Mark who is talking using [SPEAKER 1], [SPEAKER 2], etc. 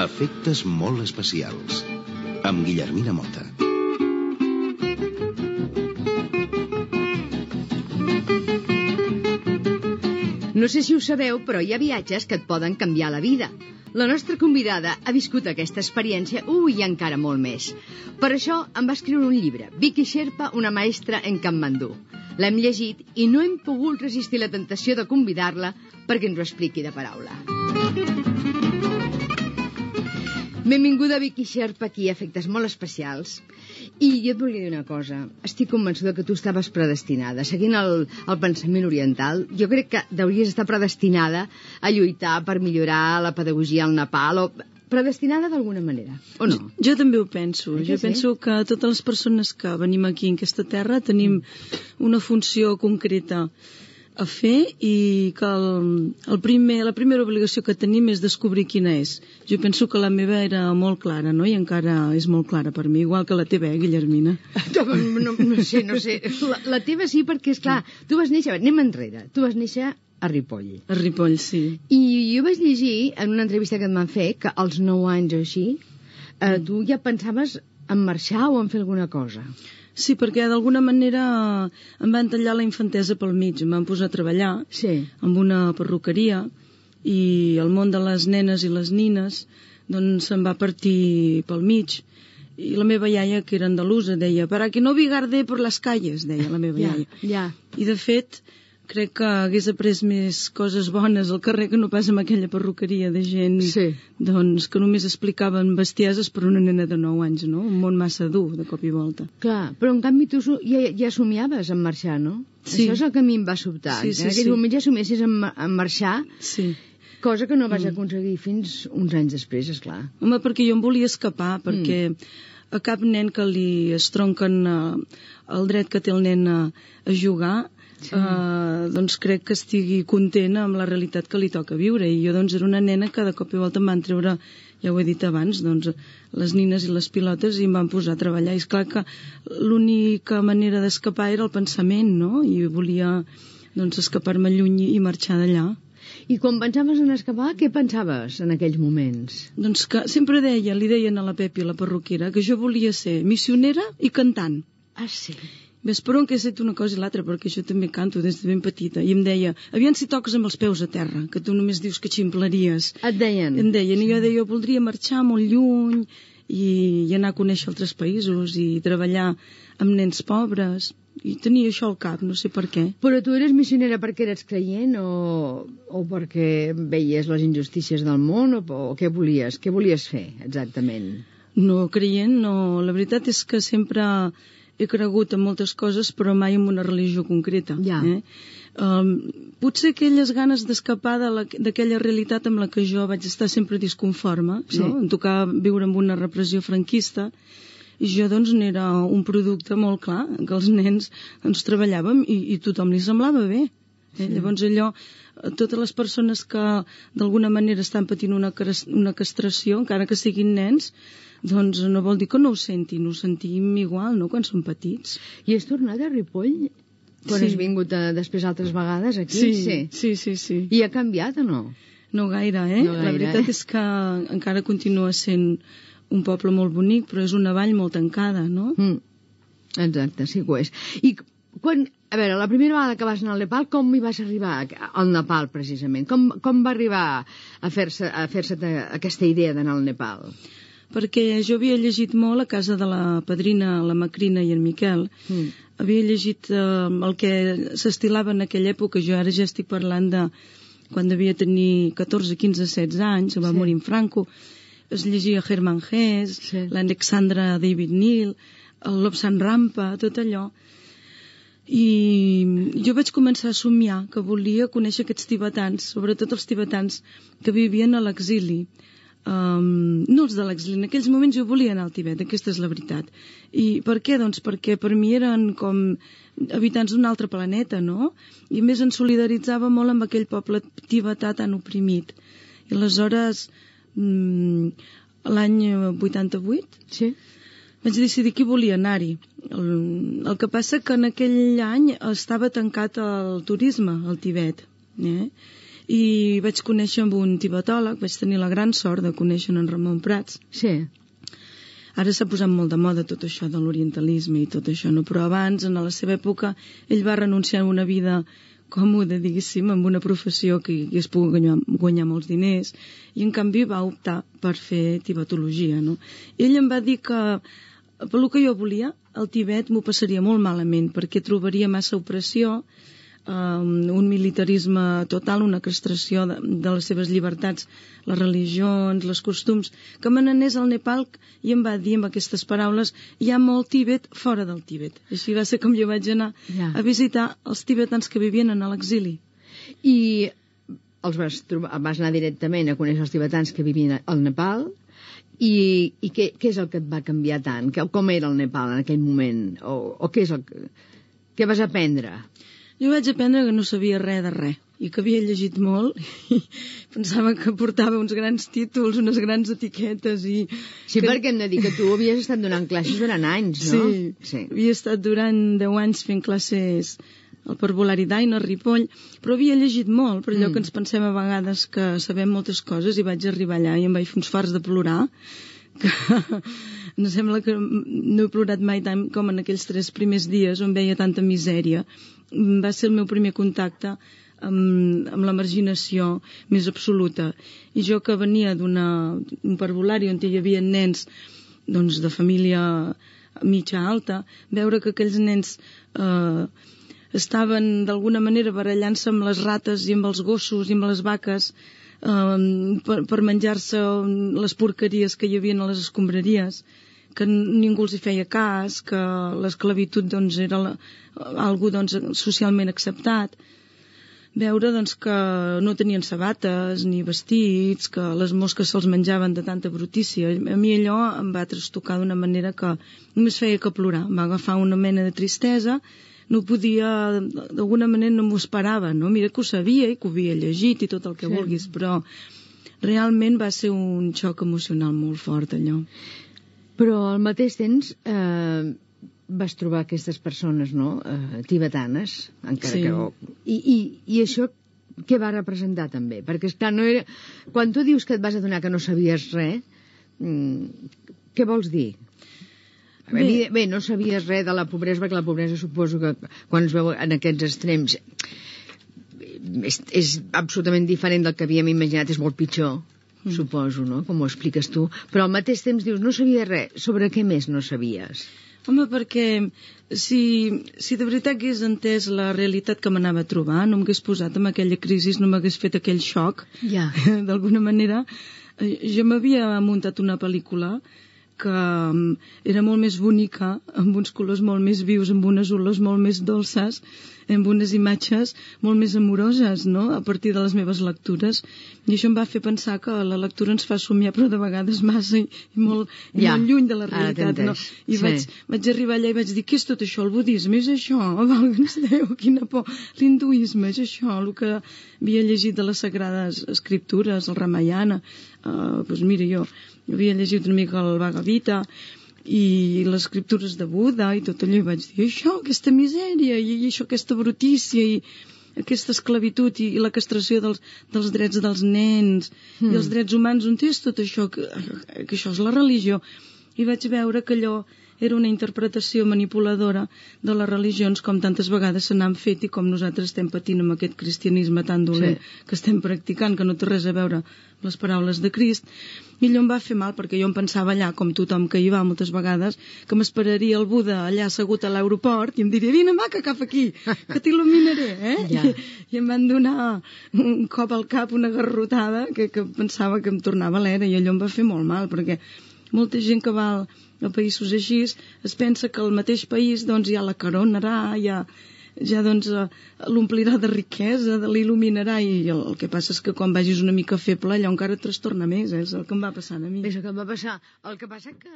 [SPEAKER 1] Efectes molt especials, amb Guillermina Mota.
[SPEAKER 2] No sé si ho sabeu, però hi ha viatges que et poden canviar la vida. La nostra convidada ha viscut aquesta experiència, i encara molt més. Per això em va escriure un llibre, Vicky Sherpa, una maestra en Katmandú. L'hem llegit i no hem pogut resistir la tentació de convidar-la perquè ens ho expliqui de paraula. Benvinguda, Vicky Sherpa, aquí a Efectes molt especials. I jo et volia dir una cosa. Estic convençuda que tu estaves predestinada. Seguint el pensament oriental, jo crec que hauries estar predestinada a lluitar per millorar la pedagogia al Nepal, o predestinada d'alguna manera, o no?
[SPEAKER 3] Jo també ho penso. Jo penso que totes les persones que venim aquí en aquesta terra tenim una funció concreta a fer i que la primera obligació que tenim és descobrir quina és. Jo penso que la meva era molt clara, no? I encara és molt clara per mi, igual que la teva, Guillermina?
[SPEAKER 2] No sé. La teva sí, perquè, esclar, tu vas néixer... Anem enrere. Tu vas néixer a Ripoll.
[SPEAKER 3] A Ripoll, sí.
[SPEAKER 2] I jo vaig llegir en una entrevista que et van fer que als 9 anys o així tu ja pensaves en marxar o en fer alguna cosa.
[SPEAKER 3] Sí, perquè d'alguna manera em van tallar la infantesa pel mig, em van posar a treballar amb una perruqueria i el món de les nenes i les nines doncs se'm va partir pel mig. I la meva iaia, que era andalusa, deia «Para que no bigarde por las calles», deia la meva iaia. I de fet, crec que hagués après més coses bones al carrer que no pas amb aquella perruqueria de gent doncs, que només explicaven bestieses per una nena de 9 anys, no? Un món massa dur, de cop i volta.
[SPEAKER 2] Clar, però en canvi tu ja somiaves en marxar, no?
[SPEAKER 3] Sí.
[SPEAKER 2] Això és el que a mi em va sobtar. En aquell moment ja somiessis en marxar, cosa que no vas aconseguir fins uns anys després, esclar.
[SPEAKER 3] Home, perquè jo em volia escapar, perquè a cap nen que li estronquen el dret que té el nen a jugar doncs crec que estigui contenta amb la realitat que li toca viure, i jo doncs era una nena que de cop i volta em van treure, ja ho he dit abans, doncs les nines i les pilotes i em van posar a treballar, i esclar que l'única manera d'escapar era el pensament, no? I volia doncs escapar-me lluny i marxar d'allà.
[SPEAKER 2] I quan pensaves en escapar, què pensaves en aquells moments?
[SPEAKER 3] Doncs que sempre li deien a la Pepi, la perruquera, que jo volia ser missionera i cantant.
[SPEAKER 2] Ah, sí?
[SPEAKER 3] Ves per on que he fet una cosa i l'altra, perquè jo també canto des de ben petita. I em deia, aviam si toques amb els peus a terra, que tu només dius que ximpleries.
[SPEAKER 2] Et deien?
[SPEAKER 3] Em deien, i jo deia, voldria marxar molt lluny i anar a conèixer altres països i treballar amb nens pobres. I tenia això al cap, no sé per què.
[SPEAKER 2] Però tu eres missionera perquè eres creient o perquè veies les injustícies del món o què volies? Què volies fer, exactament?
[SPEAKER 3] No, creient no. La veritat és que sempre he cregut en moltes coses, però mai en una religió concreta. Potser aquelles ganes d'escapar d'aquella realitat amb la que jo vaig estar sempre disconforme, no? Em tocava viure amb una repressió franquista, i jo doncs n'era un producte molt clar, que els nens ens treballàvem i tothom li semblava bé. Llavors allò, totes les persones que d'alguna manera estan patint una castració, encara que siguin nens, doncs no vol dir que no ho sentin, ho sentim igual, no?, quan som petits.
[SPEAKER 2] I has tornat a Ripoll? Quan has vingut després altres vegades aquí?
[SPEAKER 3] Sí.
[SPEAKER 2] I ha canviat o no?
[SPEAKER 3] No gaire, La veritat és que encara continua sent un poble molt bonic, però és una vall molt tancada, no?
[SPEAKER 2] Exacte, sí que ho és. I quan, a veure, la primera vegada que vas anar al Nepal, com hi vas arribar al Nepal, precisament? Com va arribar a fer-se aquesta idea d'anar al Nepal?
[SPEAKER 3] Perquè jo havia llegit molt a casa de la padrina, la Macrina i en Miquel. Havia llegit el que s'estilava en aquella època. Jo ara ja estic parlant de quan devia tenir 14, 15, 16 anys, va morir en Franco. Es llegia Hermann Hesse, l'Alexandra David Neal, el Lobsang Rampa, tot allò. I jo vaig començar a somiar que volia conèixer aquests tibetans, sobretot els tibetans que vivien a l'exili. No els de l'exili, en aquells moments jo volia anar al Tibet, aquesta és la veritat. I per què? Doncs perquè per mi eren com habitants d'un altre planeta, no? I a més em solidaritzava molt amb aquell poble tibetà tan oprimit. I aleshores, l'any 88, vaig decidir que volia anar-hi. El que passa que en aquell any estava tancat el turisme al Tibet, i vaig conèixer amb un tibetòleg, vaig tenir la gran sort de conèixer en Ramon Prats.
[SPEAKER 2] Sí.
[SPEAKER 3] Ara s'ha posat molt de moda tot això de l'orientalisme i tot això, no? Però abans, en la seva època, ell va renunciar a una vida còmode, diguéssim, amb una professió que es pugui guanyar molts diners, i en canvi va optar per fer tibetologia, no? Ell em va dir que, pel que jo volia, al Tibet m'ho passaria molt malament, perquè trobaria massa opressió, un militarisme total, una castració de les seves llibertats, les religions, els costums, que me n'anés al Nepal i em va dir amb aquestes paraules: hi ha molt Tibet fora del Tibet. Així va ser com jo vaig anar a visitar els tibetans que vivien en l'exili.
[SPEAKER 2] I vas anar directament a conèixer els tibetans que vivien al Nepal, i què és el que et va canviar tant? Com era el Nepal en aquell moment? O què és què vas aprendre?
[SPEAKER 3] Jo vaig aprendre que no sabia res de res i que havia llegit molt i pensava que portava uns grans títols, unes grans etiquetes i...
[SPEAKER 2] Sí, perquè hem de dir que tu havies estat donant classes durant anys, no?
[SPEAKER 3] Sí. Havia estat durant 10 anys fent classes al Parvulari d'Aina, a Ripoll, però havia llegit molt, per allò que ens pensem a vegades que sabem moltes coses, i vaig arribar allà i em vaig fer uns farts de plorar, que em sembla que no he plorat mai tant com en aquells 3 primers dies on veia tanta misèria. Va ser el meu primer contacte amb la marginació més absoluta. I jo, que venia d'un parvulari on hi havia nens doncs, de família mitja alta, veure que aquells nens estaven d'alguna manera barallant-se amb les rates i amb els gossos i amb les vaques per menjar-se les porqueries que hi havia a les escombraries, que ningú els hi feia cas, que l'esclavitud doncs, era algo doncs, socialment acceptat. Veure doncs, que no tenien sabates ni vestits, que les mosques se'ls menjaven de tanta brutícia. A mi allò em va trastocar d'una manera que només feia que plorar. Em va agafar una mena de tristesa, no podia, d'alguna manera no m'ho esperava, no? Mira que ho sabia i que ho havia llegit i tot el que vulguis, però realment va ser un xoc emocional molt fort, allò.
[SPEAKER 2] Però al mateix temps vas trobar aquestes persones, no?, tibetanes, encara que... I això què va representar també? Perquè, esclar, no era... Quan tu dius que et vas adonar que no sabies res, què vols dir? Bé, no sabies res de la pobresa, perquè la pobresa suposo que quan es veu en aquests extrems és absolutament diferent del que havíem imaginat, és molt pitjor. Suposo, no?, com ho expliques tu, però al mateix temps dius, no sabies res. Sobre què més no sabies?
[SPEAKER 3] Home, perquè si de veritat hagués entès la realitat que m'anava a trobar, no m'hagués posat en aquella crisi, no m'hagués fet aquell xoc, d'alguna manera. Jo m'havia muntat una pel·lícula que era molt més bonica, amb uns colors molt més vius, amb unes olors molt més dolces, amb unes imatges molt més amoroses, no?, a partir de les meves lectures. I això em va fer pensar que la lectura ens fa somiar, però de vegades massa i molt lluny de la realitat, no? I vaig arribar allà i vaig dir, què és tot això? El budisme és això? Valga'ns Déu, quina por! L'hinduisme és això? El que havia llegit de les sagrades escriptures, el Ramayana. Doncs mira, jo havia llegit una mica el Bhagavad Gita i les escriptures de Buda i tot allò, i vaig dir, això, aquesta misèria i això, aquesta brutícia i aquesta esclavitud i la castració dels drets dels nens i els drets humans, on és tot això, que això és la religió. I vaig veure que allò era una interpretació manipuladora de les religions, com tantes vegades se n'han fet i com nosaltres estem patint amb aquest cristianisme tan dolent que estem practicant, que no té res a veure amb les paraules de Crist. I allò em va fer mal, perquè jo em pensava allà, com tothom que hi va moltes vegades, que m'esperaria el Buda allà assegut a l'aeroport i em diria, vine maca, cap aquí, que t'il·luminaré, I em van donar un cop al cap, una garrotada, que pensava que em tornava a l'era, i allò em va fer molt mal, perquè molta gent que va a països així es pensa que al mateix país doncs ja la coronarà, ja doncs l'omplirà de riquesa, l'il·luminarà, i el que passa és que quan vagis una mica feble allò encara et trastorna més, és el que em va passar a mi.
[SPEAKER 2] És el que em va passar. El que passa que...